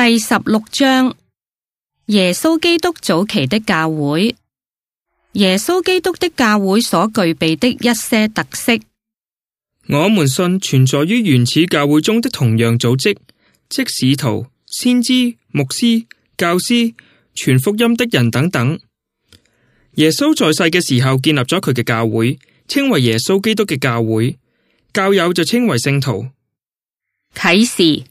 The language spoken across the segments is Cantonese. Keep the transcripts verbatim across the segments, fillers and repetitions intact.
第十六章，耶穌基督早期的教會。耶穌基督的教會所具備的一些特色。我們信存在於原始教會中的同樣組織，即使徒、先知、牧師、教師、傳福音的人等等。耶穌在世嘅時候建立咗佢嘅教會，稱為耶穌基督嘅教會，教友就稱為聖徒。啟示。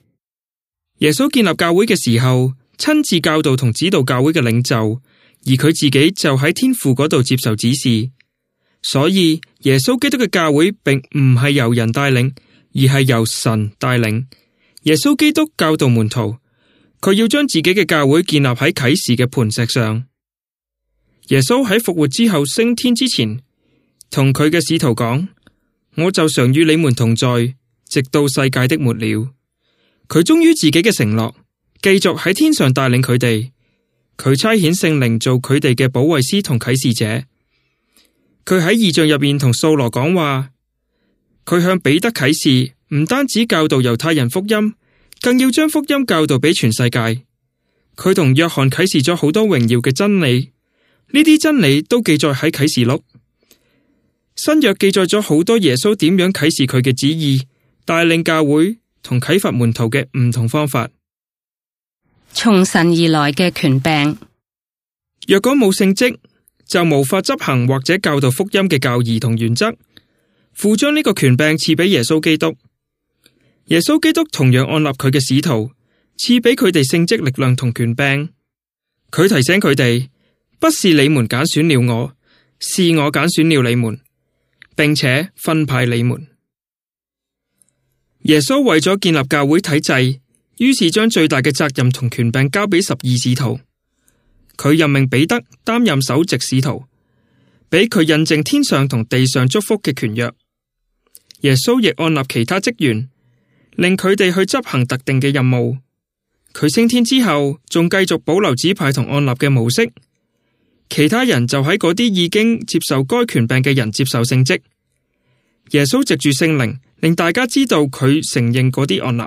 耶穌建立教會嘅時候，親自教導同指導教會嘅領袖，而佢自己就喺天父嗰度接受指示。所以耶穌基督嘅教會並唔係由人帶領，而係由神帶領。耶穌基督教導門徒，佢要將自己嘅教會建立喺啟示嘅磐石上。耶穌喺復活之後升天之前，同佢嘅使徒講：我就常與你們同在，直到世界的末了。佢忠於自己嘅承諾，繼續喺天上帶領佢哋。佢差遣聖靈做佢哋嘅保惠師同啟示者。佢喺異象入面同掃羅講話。佢向彼得啟示，唔單止教導猶太人福音，更要將福音教導俾全世界。佢同約翰啟示咗好多榮耀嘅真理，呢啲真理都記載喺啟示錄。新約記載咗好多耶穌點樣啟示佢嘅旨意，帶領教會同啟發門徒嘅唔同方法。從神而來嘅權柄。若果冇聖職，就無法執行或者教導福音嘅教義同原則。父將呢個權柄賜俾耶穌基督。耶穌基督同樣按立佢嘅使徒，賜俾佢哋聖職、力量同權柄。佢提醒佢哋，不是你們揀選了我，是我揀選了你們，並且分派你們。耶穌為咗建立教會體制，於是將最大嘅責任同權柄交俾十二使徒。佢任命彼得擔任首席使徒，俾佢印證天上同地上祝福嘅權約。耶穌亦按立其他職員，令佢哋去執行特定嘅任務。佢升天之後，仲繼續保留指派同按立嘅模式。其他人就喺嗰啲已經接受該權柄嘅人接受聖職。耶穌藉住聖靈，令大家知道佢承認嗰啲按立。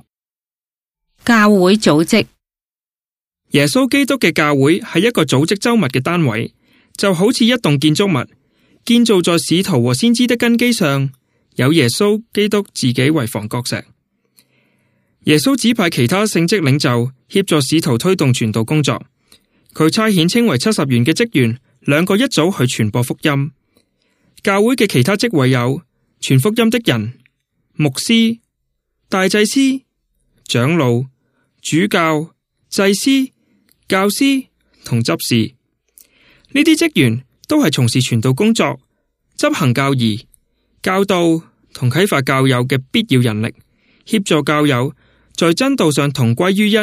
教會組織。耶穌基督嘅教會係一個組織周密嘅單位，就好似一棟建築物，建造在使徒和先知的根基上，有耶穌基督自己為房角石。耶穌指派其他聖職領袖協助使徒推動傳道工作。佢差遣稱為七十員嘅職員，兩個一組去傳播福音。教會嘅其他職位有傳福音的人、牧師、大祭司、長老、主教、祭司、教師同執事。呢啲職員都係從事傳道工作、執行教義、教導同啟發教友嘅必要人力，協助教友在真道上同歸於一，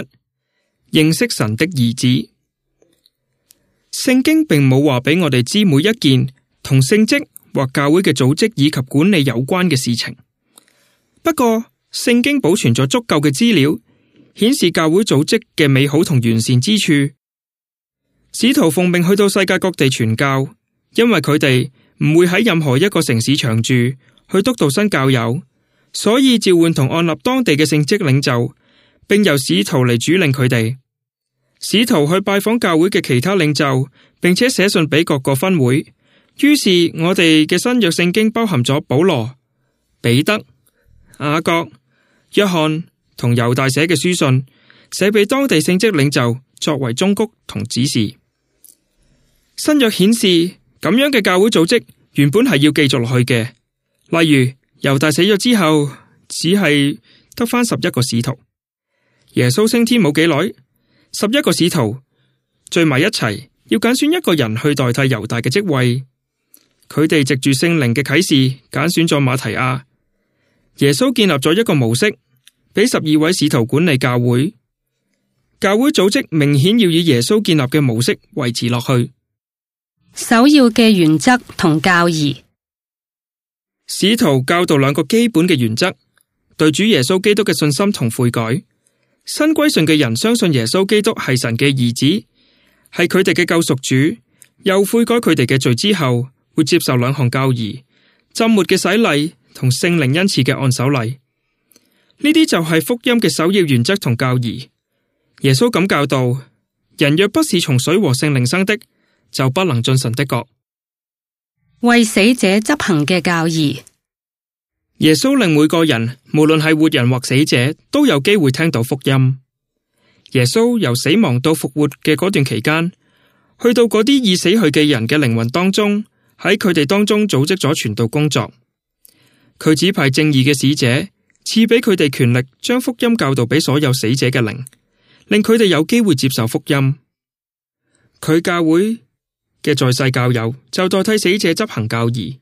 認識神的兒子。聖經並冇話俾我哋知每一件同聖職或教會嘅組織以及管理有關嘅事情。不過，聖經保存咗足夠嘅資料，顯示教會組織嘅美好同完善之處。使徒奉命去到世界各地傳教，因為佢哋唔會喺任何一個城市長住，去督導新教友，所以召喚同按立當地嘅聖職領袖，並由使徒嚟主領佢哋。使徒去拜訪教會嘅其他領袖，並且寫信俾各個分會。於是我哋嘅新約聖經包含咗保羅、彼得、雅各、約翰同猶大寫嘅書信，寫俾當地聖職領袖作為忠告同指示。新約顯示咁樣嘅教會組織原本係要繼續落去嘅。例如猶大死咗之後，只係得返十一個使徒。耶穌升天冇幾耐，十一個使徒聚埋一齊，要揀選一個人去代替猶大嘅職位。佢哋藉住聖靈嘅啟示揀選咗馬提亞。耶穌建立咗一個模式，俾十二位使徒管理教會。教會組織明顯要以耶穌建立嘅模式維持落去。首要嘅原則同教義。使徒教導兩個基本嘅原則：對主耶穌基督嘅信心同悔改。新歸信嘅人相信耶穌基督係神嘅兒子，係佢哋嘅救贖主，又悔改佢哋嘅罪之後，會接受兩項教義：浸沒嘅洗禮同聖靈恩賜嘅按手禮。呢啲就係福音嘅首要原則同教義。耶穌咁教導：人若不是從水和聖靈生的，就不能進神的國。為死者執行嘅教義。耶穌令每個人，無論係活人或死者，都有機會聽到福音。耶穌由死亡到復活嘅嗰段期間，去到嗰啲已死去嘅人嘅靈魂當中，喺佢哋當中組織咗傳道工作。佢指派正義嘅使者，賜俾佢哋權力，將福音教導俾所有死者嘅靈，令佢哋有機會接受福音。佢教會嘅在世教友就代替死者執行教義、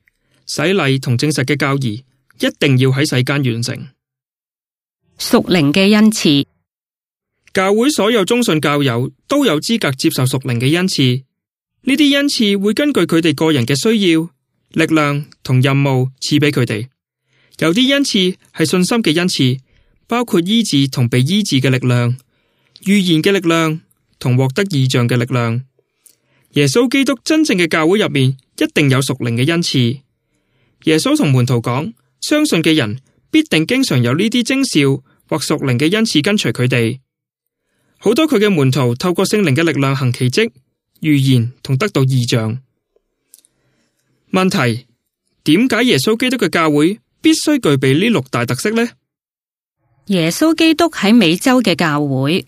洗禮同證實嘅教義，一定要喺世間完成。屬靈嘅恩賜。教會所有忠信教友都有資格接受屬靈嘅恩賜，呢啲恩賜會根據佢哋個人嘅需要、力量同任務賜俾佢哋。有啲恩賜係信心嘅恩賜，包括醫治同被醫治嘅力量、預言嘅力量同獲得異象嘅力量。耶穌基督真正嘅教會入面一定有屬靈嘅恩賜。耶穌同門徒講，相信嘅人必定經常有呢啲徵兆或屬靈嘅恩賜跟隨佢哋。好多佢嘅門徒透過聖靈嘅力量行奇蹟、預言同得到異象。問題：點解耶穌基督嘅教會必須具備呢六大特色呢？耶穌基督喺美洲嘅教會。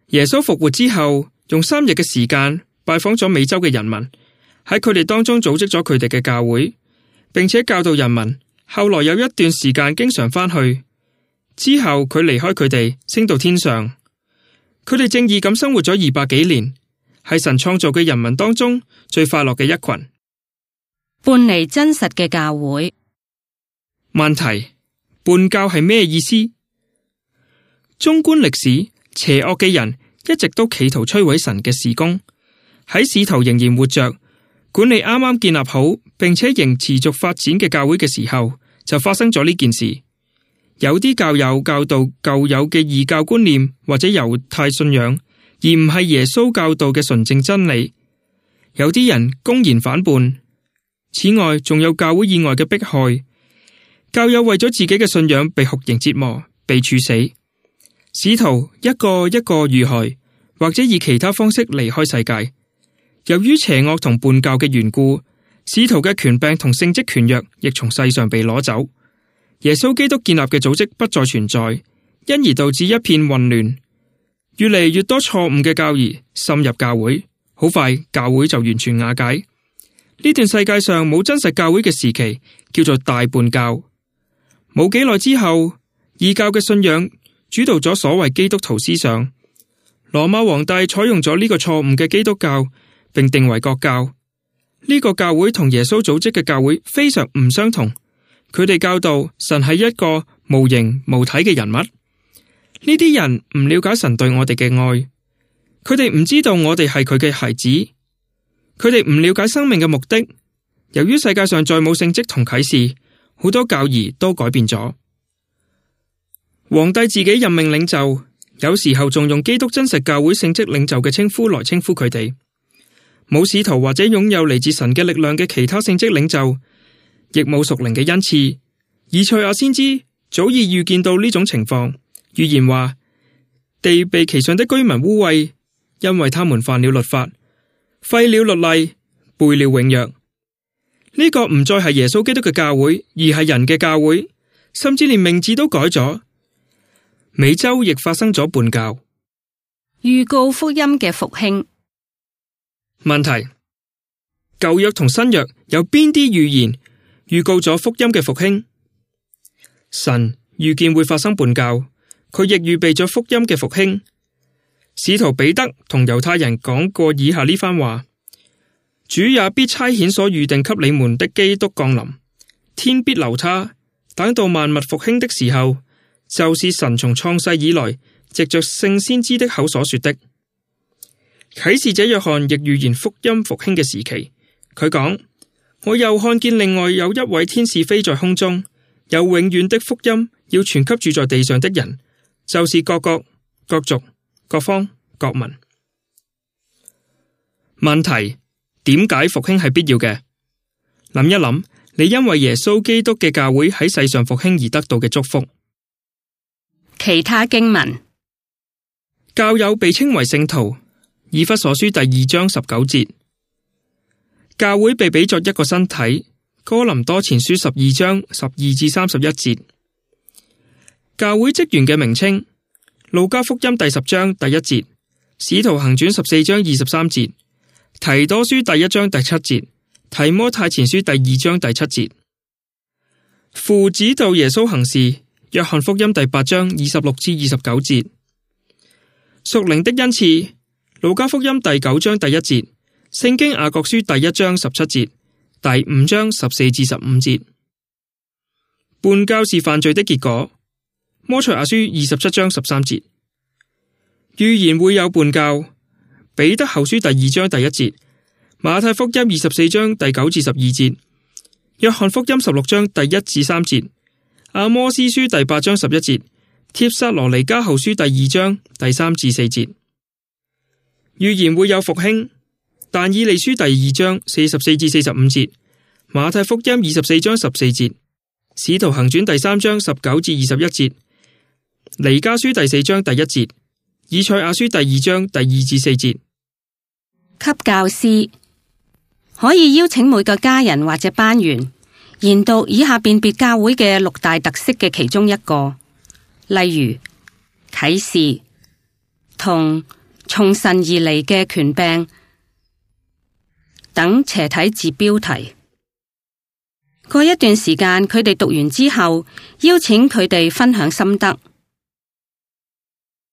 耶穌復活之後，用三日嘅時間拜訪咗美洲嘅人民，喺佢哋當中組織咗佢哋嘅教會，並且教導人民。後來有一段時間經常返去，之後佢離開佢哋，升到天上。佢哋正義咁生活咗二百幾年，係神創造嘅人民當中最快樂嘅一群。叛離真實嘅教會。問題：叛教係咩意思？縱觀歷史，邪惡嘅人一直都企圖摧毀神嘅事工。喺使徒仍然活着，管理啱啱建立好並且仍持續發展嘅教會嘅時候，就發生咗呢件事。有啲教友教導舊有嘅異教觀念或者猶太信仰，而唔係耶穌教導嘅純正真理。有啲人公然反叛。此外，仲有教會以外嘅迫害。教友為咗自己嘅信仰被酷刑折磨，被處死。使徒一個一個遇害，或者以其他方式離開世界。由於邪惡同叛教嘅緣故，使徒嘅權柄同聖職權約亦從世上被攞走。耶穌基督建立嘅組織不再存在，因而導致一片混亂，越嚟越多錯誤嘅教義滲入教會，好快教會就完全瓦解。呢段世界上冇真實教會嘅時期，叫做大叛教。冇幾耐之後，異教嘅信仰主導咗所謂基督徒思想。羅馬皇帝採用咗呢個錯誤嘅基督教，並定為國教。呢個教會同耶穌組織嘅教會非常唔相同。佢哋教導神係一個無形無體嘅人物。呢啲人唔了解神對我哋嘅愛，佢哋唔知道我哋係佢嘅孩子，佢哋唔了解生命嘅目的。由於世界上再冇聖蹟同啟示，好多教義都改變咗。皇帝自己任命領袖，有時候仲用基督真實教會聖職領袖嘅稱呼來稱呼佢哋。冇使徒或者擁有嚟自神嘅力量嘅其他聖職領袖，亦冇屬靈嘅恩賜。以賽亞先知早已預見到呢種情況，預言話地被其上的居民污穢，因為他們犯了律法，廢了律例，背了永約。呢、這個唔再係耶穌基督嘅教會，而係人嘅教會，甚至連名字都改咗。美洲亦發生咗叛教。預告福音嘅復興。問題：舊約同新約有邊啲預言預告咗福音嘅復興？神預見會發生叛教，佢亦預備咗福音嘅復興。使徒彼得同猶太人講過以下呢番話：主也必差遣所預定給你們的基督降臨，天必留他，等到萬物復興的時候，就是神從創世以來藉着聖先知的口所說的。啟示者約翰亦預言福音復興嘅時期，佢講：我又看見另外有一位天使飛在空中，有永遠的福音要傳給住在地上的人，就是各國、各族、各方、各民。問題：點解復興係必要嘅？諗一諗，你因為耶穌基督嘅教會喺世上復興而得到嘅祝福。其他經文：教友被稱為聖徒，以弗所書第二章十九節。教會被比作一個身體，哥林多前書十二章十二至三十一節。教會職員嘅名稱，路加福音第十章第一節，使徒行傳十四章二十三節，提多書第一章第七節，提摩太前書第二章第七節。父指導耶穌行事，約翰福音第八章二十六至二十九節。屬靈的恩賜，路加福音第九章第一節，聖經雅各書第一章十七節，第五章十四至十五節。叛教是犯罪的結果，摩賽亞書二十七章十三節。預言會有叛教，彼得後書第二章第一節，馬太福音二十四章第九至十二節，約翰福音十六章第一至三節，阿摩司書第八章十一節，帖撒羅尼迦後書第二章第三至四節。預言會有復興，但以利書第二章四十四至四十五節，馬太福音二十四章十四節，使徒行傳第三章十九至二十一節，彌迦書第四章第一節，以賽亞書第二章第二至四節。給教師可以邀請每個家人或者班員研讀以下辨別教會嘅六大特色嘅其中一個，例如啟示同從神而嚟嘅權柄等斜體字標題。過一段時間，佢哋讀完之後，邀請佢哋分享心得。